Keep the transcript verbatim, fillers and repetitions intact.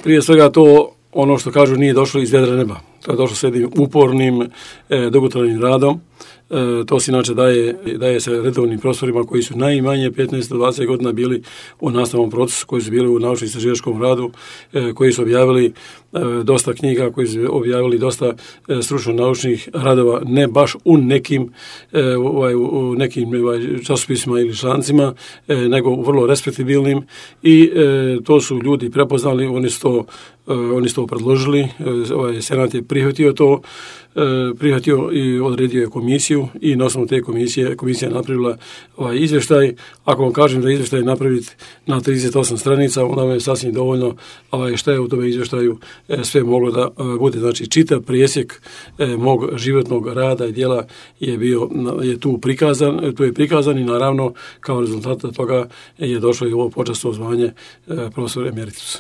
Prije svega to, ono što kažu, nije došlo iz vedra neba. To je došlo s jednim upornim, e, dugotrajnim radom. E, to se inače daje, daje se redovnim profesorima koji su najmanje petnaest do dvadeset godina bili u nastavnom procesu, koji su bili u naučno-istraživačkom radu, e, koji su objavili e, dosta knjiga, koji su objavili dosta e, stručno-naučnih radova, ne baš u nekim, e, ovaj, u nekim ovaj, časopisima ili člancima, e, nego u vrlo respektabilnim i e, to su ljudi prepoznali, oni su to, e, oni su to predložili, e, ovaj, Senat je prihvatio to, e, prihvatio i odredio je komisiju i na osnovu te komisije, komisija je napravila ovaj izvještaj. Ako vam kažem da izvještaj napraviti na trideset osam stranica, onda vam je sasvim dovoljno ovaj, šta je u tome izvještaju e, sve moglo da e, bude. Znači, čitav presjek e, mog životnog rada i djela je bio, je tu prikazan, tu je prikazan i naravno kao rezultat toga je došlo i ovo počasno zvanje e, profesor emeritus.